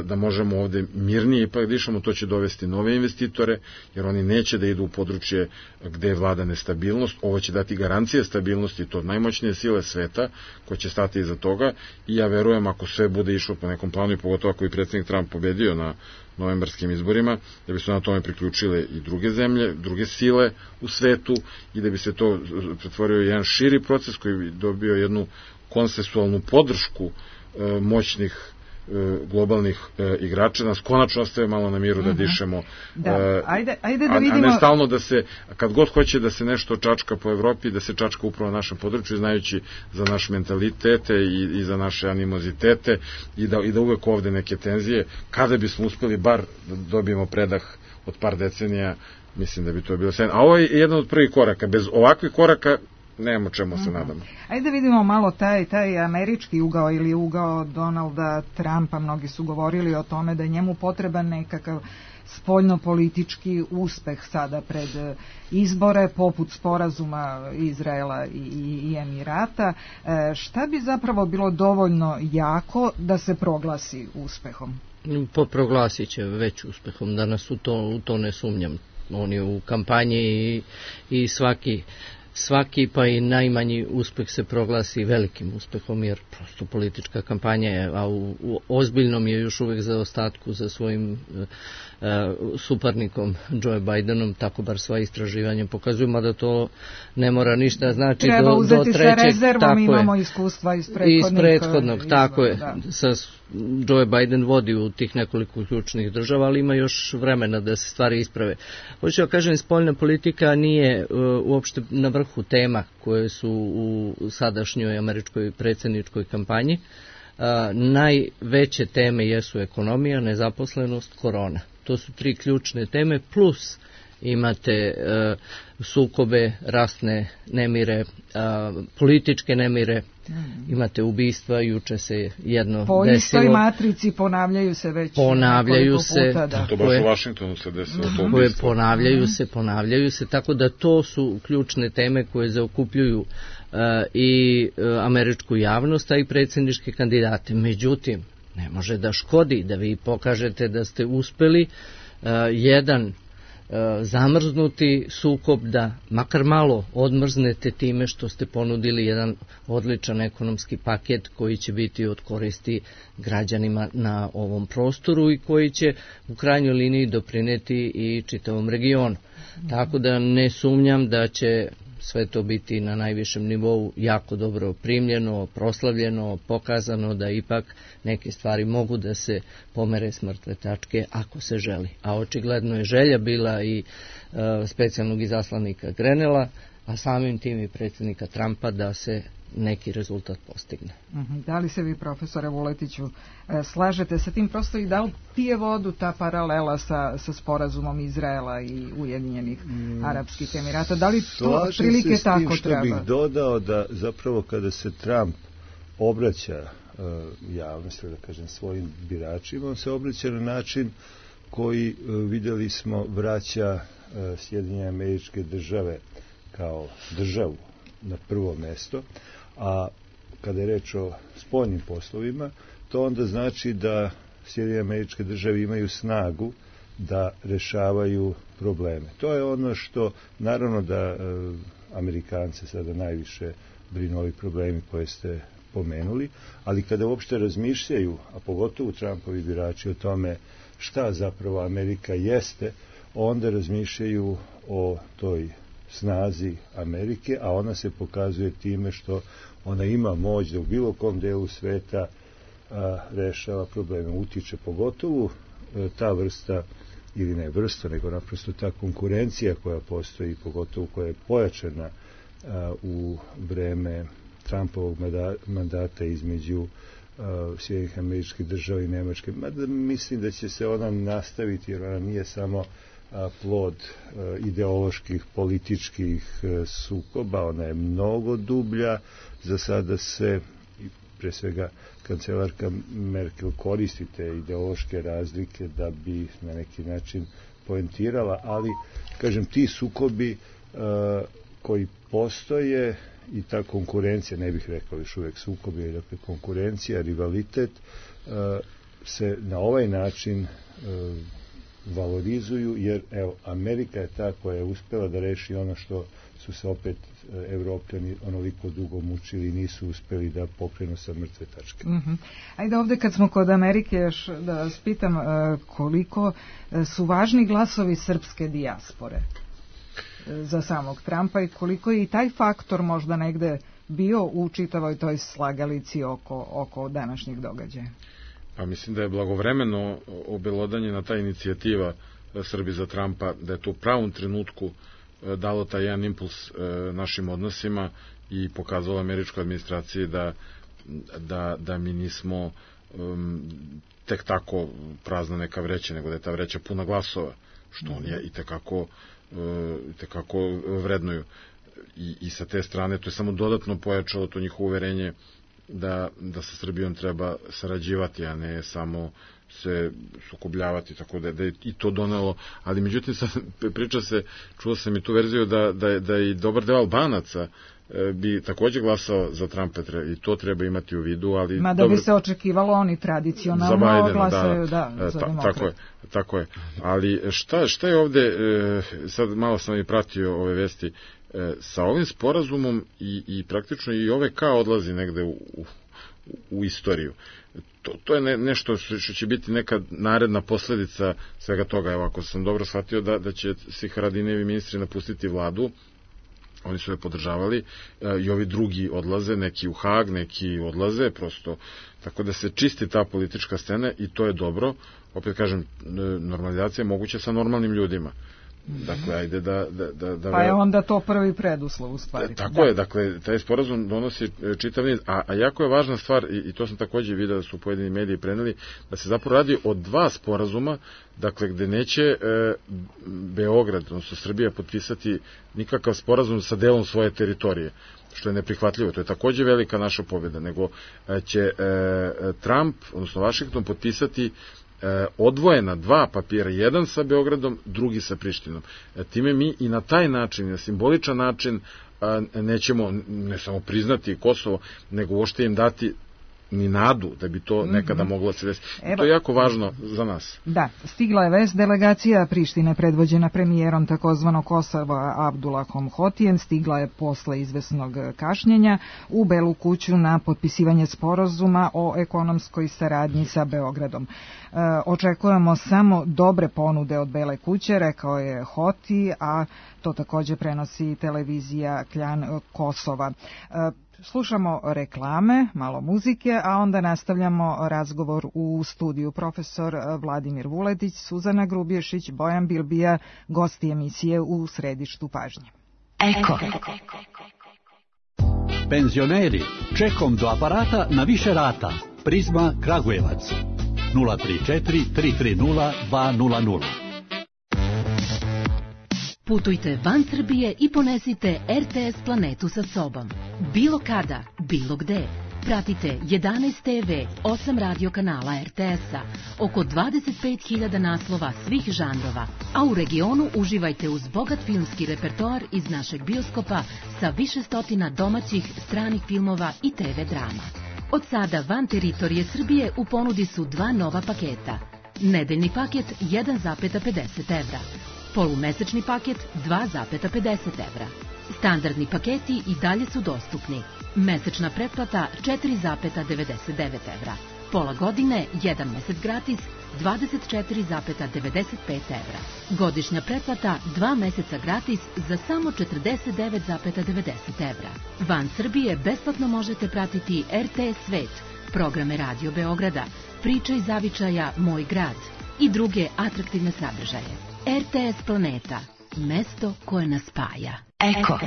da možemo ovde mirnije ipak dišemo. To će dovesti nove investitore, jer oni neće da idu u područje gde vlada nestabilnost. Ovo će dati garancije stabilnosti, to najmoćnije sile sveta koje će stati iza toga, i ja verujem, ako sve bude išlo po nekom planu, i pogotovo ako i predsjednik Trump pobedio na novembarskim izborima, da bi se na tome priključile i druge zemlje, druge sile u svetu, i da bi se to pretvorio jedan širi proces koji bi dobio jednu konsensualnu podršku moćnih globalnih igrača, nas konačno ostaje malo na miru da dišemo, ajde da vidimo... a ne stalno da se, kad god hoće da se nešto čačka po Evropi, da se čačka upravo na našem području, znajući za naš mentalitete i za naše animozitete, i da uvek ovde neke tenzije. Kada bismo uspeli bar da dobijemo predah od par decenija, mislim da bi to bilo sjajno. A ovo je jedan od prvih koraka. Bez ovakvih koraka nemamo čemu se nadamo. Ajde da vidimo malo taj američki ugao ili ugao Donalda Trumpa. Mnogi su govorili o tome da je njemu potreban nekakav spoljnopolitički uspeh sada pred izbore, poput sporazuma Izraela i Emirata. Šta bi zapravo bilo dovoljno jako da se proglasi uspehom? Proglasit će već uspehom, danas u to ne sumnjam. On je u kampanji i svaki pa i najmanji uspeh se proglasi velikim uspehom, jer prosto politička kampanja je, a u ozbiljnom je još uvek zaostatku za svojim suparnikom Joe Bidenom, tako bar sva istraživanja pokazuju, mada to ne mora ništa znači treba do uzeti trećeg, sa rezervom, imamo iskustva iz prethodnog izbora, tako je. Joe Biden vodi u tih nekoliko ključnih država, ali ima još vremena da se stvari isprave. Hoću da kažem, spoljna politika nije uopšte na vrhu tema koje su u sadašnjoj američkoj predsjedničkoj kampanji. Najveće teme jesu ekonomija, nezaposlenost, korona. To su tri ključne teme, plus imate sukobe, rasne nemire, političke nemire, imate ubistva, juče se jedno desilo. Po istoj matrici ponavljaju se već nekoliko puta. To baš u Vašingtonu se desilo. Ponavljaju se, tako da to su ključne teme koje zaokupljuju i američku javnost, a i predsjedničke kandidate. Međutim, ne može da škodi da vi pokažete da ste uspeli jedan zamrznuti sukob, da makar malo odmrznete time što ste ponudili jedan odličan ekonomski paket koji će biti od koristi građanima na ovom prostoru i koji će u krajnjoj liniji doprineti i čitavom regionu. Tako da ne sumnjam da će sve to biti na najvišem nivou jako dobro primljeno, proslavljeno, pokazano da ipak neke stvari mogu da se pomere s mrtve tačke ako se želi. A očigledno je želja bila i specijalnog izaslanika Grenela, a samim tim i predsjednika Trumpa da se neki rezultat postigne. Da li se vi, profesore Vuletiću, slažete sa tim, prosto i da li pije vodu ta paralela sa sporazumom Izraela i Ujedinjenih Arapskih Emirata? Da li to prilike tako treba? Slažem se s tim što bih dodao da zapravo kada se Trump obraća javnosti, da kažem svojim biračima, on se obraća na način koji, vidjeli smo, vraća Sjedinjene Američke Države kao državu na prvo mesto, a kada je reč o spoljnim poslovima, to onda znači da Sjedinjene Američke Države imaju snagu da rešavaju probleme. To je ono što, naravno da Amerikance sada najviše brinu ovi problemi koje ste pomenuli, ali kada uopšte razmišljaju, a pogotovo Trumpovi birači, o tome šta zapravo Amerika jeste, onda razmišljaju o toj snazi Amerike, a ona se pokazuje time što ona ima moć da u bilo kom delu sveta rešava probleme, utiče, pogotovo ta vrsta ili ne vrsta, nego naprosto ta konkurencija koja postoji, pogotovo koja je pojačana u vreme Trumpovog mandata između Sjedinjenih Američkih Država i Nemačke. Mada mislim da će se ona nastaviti, jer ona nije samo plod ideoloških, političkih sukoba, ona je mnogo dublja. Za sada se, pre svega, kancelarka Merkel koristi te ideološke razlike da bi na neki način poentirala, ali, kažem, ti sukobi koji postoje i ta konkurencija, ne bih rekao još uvek sukobi, dakle konkurencija, rivalitet, se na ovaj način valorizuju, jer evo, Amerika je ta koja je uspela da reši ono što su se opet Evropljani onoliko dugo mučili i nisu uspeli da pokrenu sa mrtve tačke. Ajde ovde kad smo kod Amerike još da vas pitam koliko su važni glasovi srpske dijaspore za samog Trumpa i koliko je i taj faktor možda negde bio u čitavoj toj slagalici oko današnjeg događaja? Pa mislim da je blagovremeno obelodanjena ta inicijativa Srbi za Trumpa, da je to u pravom trenutku dalo taj jedan impuls našim odnosima i pokazalo američkoj administraciji da mi nismo tek tako prazna neka vreća, nego da je ta vreća puna glasova, što oni i tekako vrednuju. I sa te strane to je samo dodatno pojačalo to njihovo uverenje da sa Srbijom treba sarađivati, a ne samo se sukobljavati, tako da je i to donelo, ali međutim sad priča se, čuo sam i tu verziju da i dobar deo Albanaca bi takođe glasao za Trumpa i to treba imati u vidu, ali... Mada bi se očekivalo, oni tradicionalno glasaju za demokrate. Tako je. Ali šta je ovde, sad malo sam i pratio ove vesti, sa ovim sporazumom i praktično i OVK odlazi negde u istoriju. To je nešto što će biti neka naredna posledica svega toga. Evo, ako sam dobro shvatio da će svi Haradinajevi ministri napustiti vladu, oni su je podržavali i ovi drugi odlaze, neki u Hag, neki odlaze, prosto tako da se čisti ta politička scena i to je dobro. Opet kažem, normalizacija je moguća sa normalnim ljudima. Dakle, ajde da pa je onda to prvi preduslov u stvari. Tako je, dakle, taj sporazum donosi čitav niz, a jako je važna stvar, i to sam takođe vidio da su pojedini mediji preneli, da se zapravo radi o 2 sporazuma, dakle, gde neće Beograd, odnosno Srbija, potpisati nikakav sporazum sa delom svoje teritorije, što je neprihvatljivo. To je takođe velika naša pobjeda, nego će Trump, odnosno Vašington, potpisati odvojena 2 papira, jedan sa Beogradom, drugi sa Prištinom. Time mi i na taj način, na simboličan način, nećemo ne samo priznati Kosovo, nego uopšte im dati ni nadu da bi to nekada moglo se desiti. To je jako važno za nas. Da, stigla je vest, delegacija Prištine predvođena premijerom takozvanog Kosova Abdulahom Hotijem stigla je posle izvesnog kašnjenja u Belu kuću na potpisivanje sporazuma o ekonomskoj saradnji sa Beogradom. Očekujemo samo dobre ponude od Bele kuće, rekao je Hoti, a to takođe prenosi televizija Kljan Kosova. Slušamo reklame, malo muzike, a onda nastavljamo razgovor u studiju. Profesor Vladimir Vuletić, Suzana Grubješić, Bojan Bilbija, gosti emisije u središtu pažnje. Eko. Penzioneri, čekom do aparata na više rata. Prizma Kragujevac. 034 330 200. Putujte van Srbije i ponesite RTS planetu sa sobom. Bilo kada, bilo gde. Pratite 11 TV, 8 radio kanala RTS-a, oko 25.000 naslova svih žanrova, a u regionu uživajte uz bogat filmski repertoar iz našeg bioskopa sa više stotina domaćih, stranih filmova i TV drama. Od sada van teritorije Srbije u ponudi su 2 nova paketa. Nedeljni paket 1,50 evra. Polumesečni paket 2,50 evra. Standardni paketi i dalje su dostupni. Mesečna pretplata 4,99 evra. Pola godine, 1 mesec gratis, 24,95 evra. Godišnja pretplata 2 meseca gratis za samo 49,90 evra. Van Srbije besplatno možete pratiti RTS Svet, programe Radio Beograda, Priče iz zavičaja Moj grad, i druge atraktivne sadržaje. RTS Planeta, mesto koje nas spaja. Eko.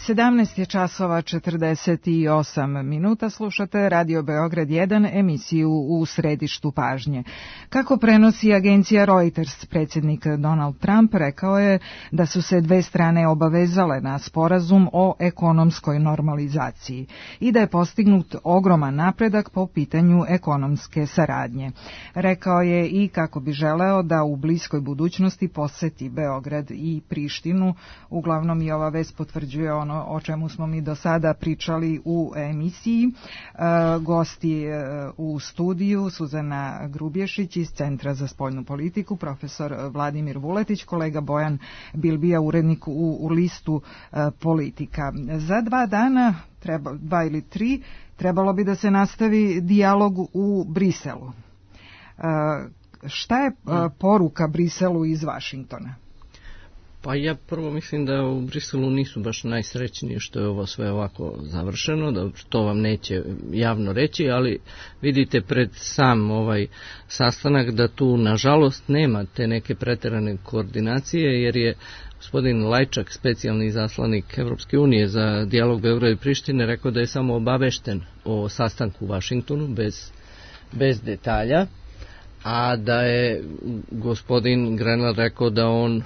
Sedamnaest je časova 48 minuta, slušate Radio Beograd 1, emisiju U središtu pažnje. Kako prenosi agencija Reuters, predsjednik Donald Trump rekao je da su se dve strane obavezale na sporazum o ekonomskoj normalizaciji i da je postignut ogroman napredak po pitanju ekonomske saradnje. Rekao je i kako bi želeo da u bliskoj budućnosti poseti Beograd i Prištinu. Uglavnom i ova vest potvrđuje ono o čemu smo mi do sada pričali u emisiji. Gosti u studiju Suzana Grubješić iz Centra za spoljnu politiku, profesor Vladimir Vuletić, kolega Bojan Bilbija, urednik u listu Politika. Za 2 dana, 2 ili 3, trebalo bi da se nastavi dijalog u Briselu. Šta je poruka Briselu iz Vašingtona? Pa ja prvo mislim da u Briselu nisu baš najsrećniji što je ovo sve ovako završeno, da to vam neće javno reći, ali vidite pred sam ovaj sastanak da tu nažalost nema te neke preterane koordinacije, jer je gospodin Lajčak, specijalni izaslanik Evropske unije za dijalog Beograda i Prištine, rekao da je samo obavešten o sastanku u Vašingtonu bez detalja, a da je gospodin Grenland rekao da on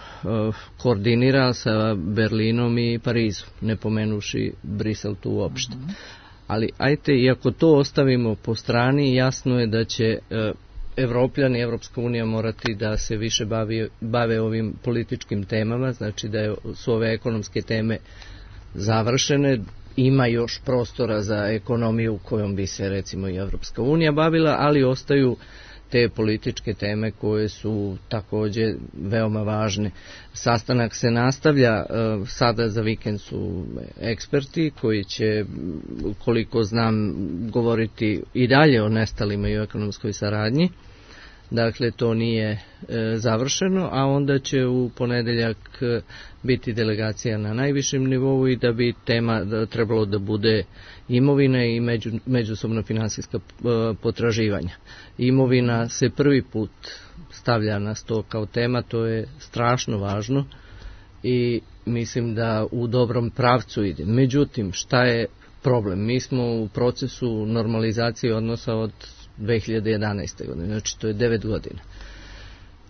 koordinira sa Berlinom i Parizom, ne pomenuši Brisel tu uopšte. Ali ajte, iako to ostavimo po strani, jasno je da će Evropljani i Evropska unija morati da se više bave ovim političkim temama, znači da su ove ekonomske teme završene. ima još prostora za ekonomiju kojom bi se recimo i Evropska unija bavila, ali ostaju te političke teme koje su također veoma važne. Sastanak se nastavlja, sada za vikend su eksperti koji će, koliko znam, govoriti i dalje o nestalima i o ekonomskoj saradnji. Dakle, to nije završeno, a onda će u ponedeljak biti delegacija na najvišem nivou i da bi tema trebalo da bude imovina i međusobno finansijska potraživanja. Imovina se prvi put stavlja na sto kao tema, to je strašno važno i mislim da u dobrom pravcu ide. Međutim, šta je problem? Mi smo u procesu normalizacije odnosa od 2011. godine, znači to je 9 godina.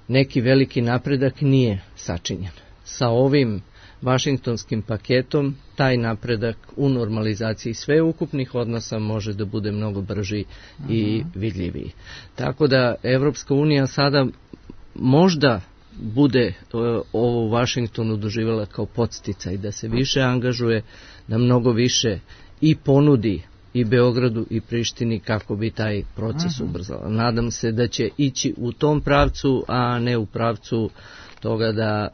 Neki veliki napredak nije sačinjen. Sa ovim vašingtonskim paketom taj napredak u normalizaciji sveukupnih odnosa može da bude mnogo brži i vidljiviji. Tako da Evropska unija sada možda bude ovo u Vašingtonu doživjela kao podsticaj da se više angažuje, da mnogo više i ponudi i Beogradu i Prištini kako bi taj proces ubrzala. Nadam se da će ići u tom pravcu, a ne u pravcu toga da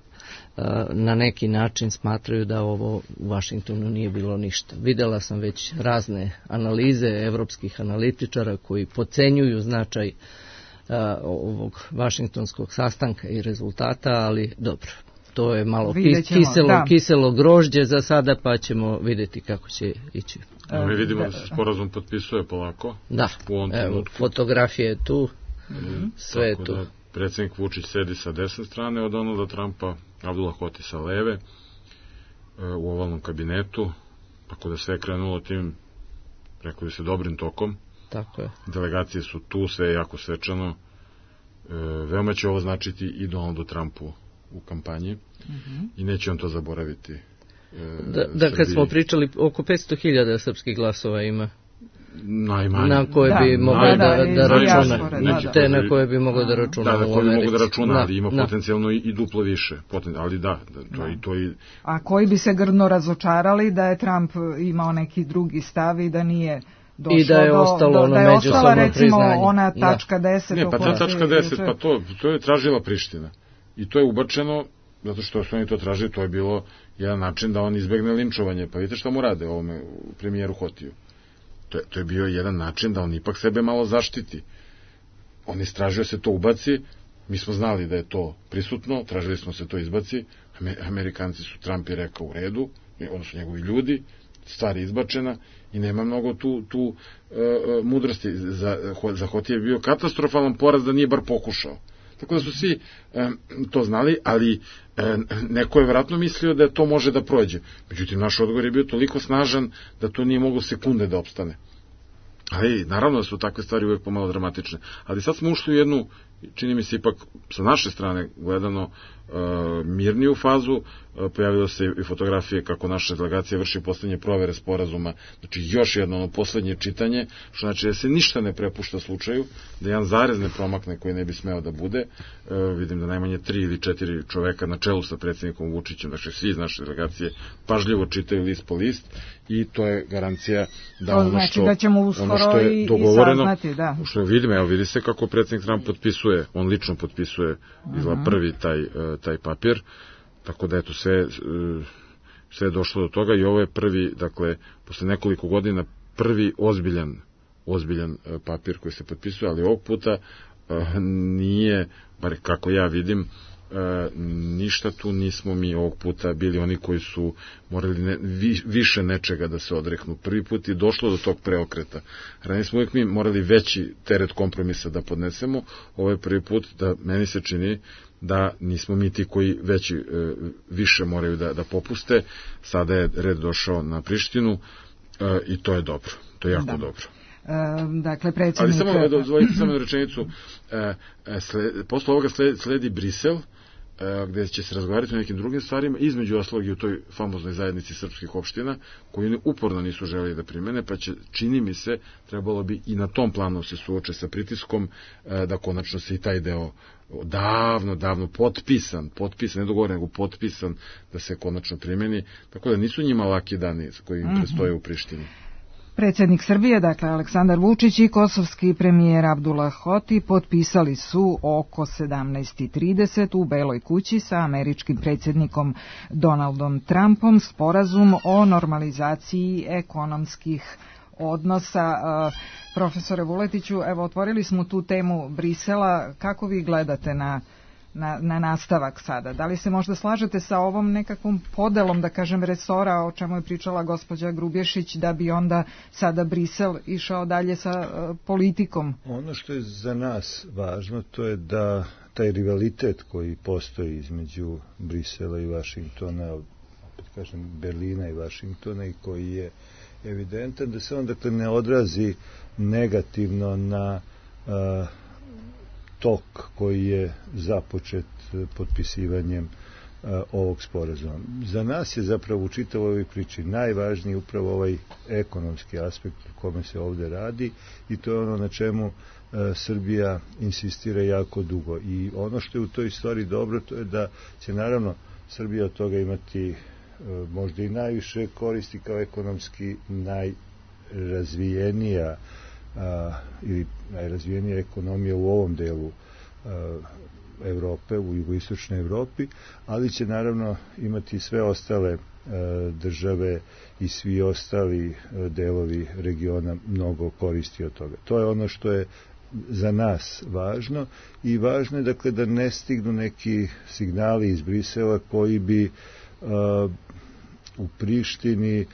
na neki način smatraju da ovo u Vašingtonu nije bilo ništa. Videla sam već razne analize evropskih analitičara koji podcenjuju značaj ovog vašingtonskog sastanka i rezultata, ali dobro. To je malo kiselo grožđe za sada, pa ćemo vidjeti kako će ići. Mi vidimo da se sporazum potpisuje polako. Da, evo, fotografija je tu, sve je tu. Predsjednik Vučić sedi sa desne strane od Donalda Trumpa, Abdullah Hoti sa leve, u ovalnom kabinetu, tako da sve je krenulo tim, rekao bi se, dobrim tokom. Tako je. Delegacije su tu, sve je jako svečano. Veoma će ovo značiti i Donaldu Trumpu u kampanji i neće on to zaboraviti. Da, kad smo pričali, oko 500.000 srpskih glasova ima. Najmanje. Na koje bi mogli da računa. Te na koje bi mogli da računa. Da, na koje bi mogli da računa, ali ima potencijalno i duplo više. Ali da, to i... A koji bi se grdno razočarali da je Trump imao neki drugi stav i da nije došlo i da je ostalo ono međusobno priznanje. Recimo ona tačka 10. Ne, pa ta tačka 10, pa to je tražila Priština. I to je ubačeno, zato što su oni to tražili, to je bilo jedan način da on izbegne linčovanje. Pa vidite šta mu rade ovome premijeru Hotiju. To je bio jedan način da on ipak sebe malo zaštiti. On istražio se to ubaci, mi smo znali da je to prisutno, tražili smo se to izbaci, Amerikanci su, Trump je rekao u redu, odnosno njegovi ljudi, stvar je izbačena i nema mnogo tu mudrosti. Za Hotija je bio katastrofalan poraz da nije bar pokušao. Tako da su svi to znali, ali neko je vjerojatno mislio da to može da prođe. Međutim, naš odgovor je bio toliko snažan da to nije moglo sekunde da opstane. Ali, naravno da su takve stvari uvijek pomalo dramatične. Ali sad smo ušli u jednu, čini mi se ipak sa naše strane gledano, mirniju fazu. Pojavilo se i fotografije kako naša delegacija vrši poslednje provere sporazuma, znači još jedno poslednje čitanje, što znači da se ništa ne prepušta slučaju, da jedan zarez ne promakne koji ne bi smeo da bude. Vidim da najmanje 3 ili 4 čoveka na čelu sa predsjednikom Vučićem, znači svi iz naše delegacije pažljivo čitaju list po list i to je garancija da ono što je dogovoreno, što vidimo, evo vidi se kako predsjednik Trump potpisuje, on lično potpisuje izgleda prvi taj papir, tako da eto sve je došlo do toga i ovo je prvi, dakle, posle nekoliko godina prvi ozbiljan papir koji se potpisuje, ali ovog puta nije, bar kako ja vidim, ništa tu nismo mi ovog puta bili oni koji su morali više nečega da se odreknu. Prvi put je došlo do tog preokreta. Ranije smo uvijek mi morali veći teret kompromisa da podnesemo. Ovo je prvi put da meni se čini da nismo mi ti koji više moraju da popuste. Sada je red došao na Prištinu i to je dobro. To je jako dobro. Dakle, predsjednik... Ali samo dozvolite samo rečenicu. Posle ovoga sledi Brisel, gde će se razgovarati o nekim drugim stvarima, između ostalog i u toj famoznoj zajednici srpskih opština, koju oni uporno nisu želeli da primene, pa će, čini mi se, trebalo bi i na tom planu se suoče sa pritiskom, da konačno se i taj deo davno potpisan, ne dogovoren, nego potpisan, da se konačno primeni, tako da nisu njima laki dani koji im predstoje u Prištini. Predsjednik Srbije, dakle Aleksandar Vučić i kosovski premijer Abdullah Hoti potpisali su oko 17:30 u Beloj kući sa američkim predsjednikom Donaldom Trumpom sporazum o normalizaciji ekonomskih odnosa. Profesore Vuletiću, evo otvorili smo tu temu Brisela, kako vi gledate na nastavak sada? Da li se možda slažete sa ovom nekakvom podelom, da kažem, resora, o čemu je pričala gospođa Grubješić, da bi onda sada Brisel išao dalje sa politikom? Ono što je za nas važno, to je da taj rivalitet koji postoji između Brisela i Vašingtona, opet kažem Berlina i Vašingtona, i koji je evidentan, da se on dakle ne odrazi negativno na tok koji je započet potpisivanjem ovog sporazuma. Za nas je zapravo u čitavoj ovoj priči najvažniji upravo ovaj ekonomski aspekt o kome se ovde radi, i to je ono na čemu Srbija insistira jako dugo. I ono što je u toj stvari dobro, to je da će naravno Srbija od toga imati možda i najviše koristi kao ekonomski najrazvijenija ili najrazvijenija ekonomija u ovom delu Evrope, u jugoistočnoj Evropi, ali će naravno imati sve ostale države i svi ostali delovi regiona mnogo koristi od toga. To je ono što je za nas važno, i važno je dakle da ne stignu neki signali iz Brisela koji bi u Prištini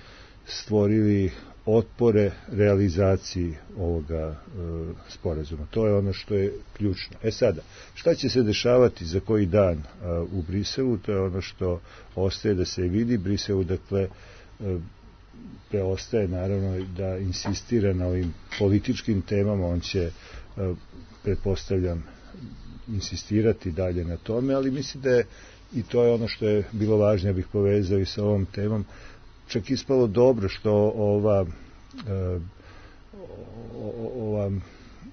stvorili otpore realizaciji ovoga sporazuma. To je ono što je ključno. Sada, šta će se dešavati za koji dan u Briselu, to je ono što ostaje da se vidi. Briselu, dakle, preostaje naravno da insistira na ovim političkim temama, on će, pretpostavljam, insistirati dalje na tome, ali mislim da je, i to je ono što je bilo važno, ja bih povezao i sa ovom temom, čak ispalo dobro što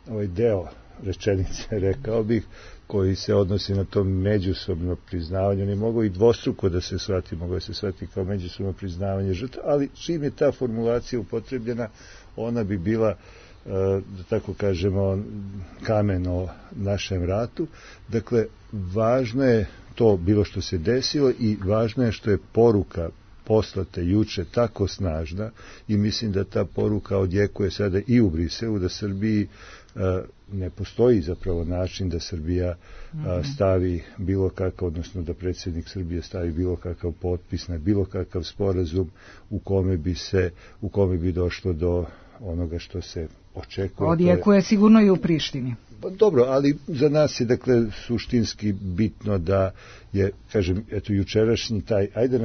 ovaj deo rečenice, rekao bih, koji se odnosi na to međusobno priznavanje, ne mogu i dvostruko da se shvati, mogu da se shvati kao međusobno priznavanje žrtva, ali čim je ta formulacija upotrebljena, ona bi bila, da tako kažemo, kamen o našem ratu. Dakle, važno je to bilo što se desilo, i važno je što je poruka poslate juče tako snažna, i mislim da ta poruka odjekuje sada i u Briselu, da Srbiji ne postoji zapravo način da Srbija stavi bilo kakav, odnosno da predsjednik Srbije stavi bilo kakav potpis na bilo kakav sporazum u kome bi došlo do onoga što se očekuje. Odjekuje sigurno i u Prištini. Pa dobro, ali za nas je dakle suštinski bitno da je, kažem, eto jučerašnji taj, ajde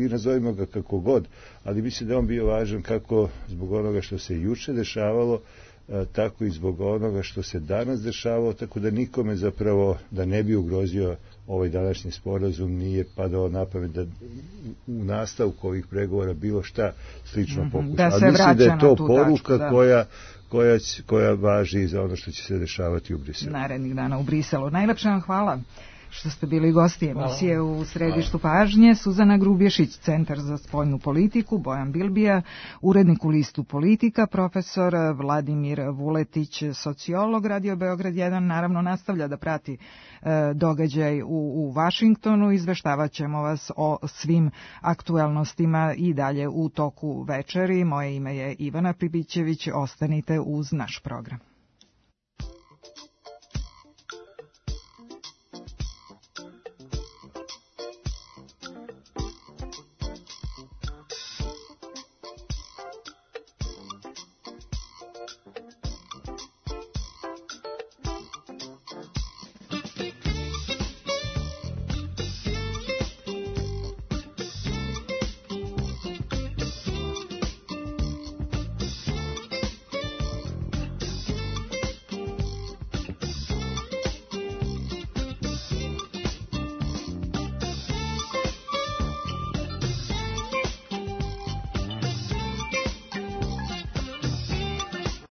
nazovimo ga kako god, ali mislim da on bio važan kako zbog onoga što se juče dešavalo, tako i zbog onoga što se danas dešavalo, tako da nikome zapravo, da ne bi ugrozio ovaj današnji sporazum, nije padao na pamet da u nastavku ovih pregovora bilo šta slično pokuša. Ali mislim da je to poruka tačku, koja važi za ono što će se dešavati u Briselu. Narednih dana u Briselu. Najlepše vam hvala što ste bili gosti emisije U središtu pažnje. Suzana Grubješić, Centar za spoljnu politiku, Bojan Bilbija, urednik u listu Politika, profesor Vladimir Vuletić, sociolog. Radio Beograd 1 naravno nastavlja da prati događaj u Vašingtonu. Izveštavat ćemo vas o svim aktuelnostima i dalje u toku večeri. Moje ime je Ivana Pribićević. Ostanite uz naš program.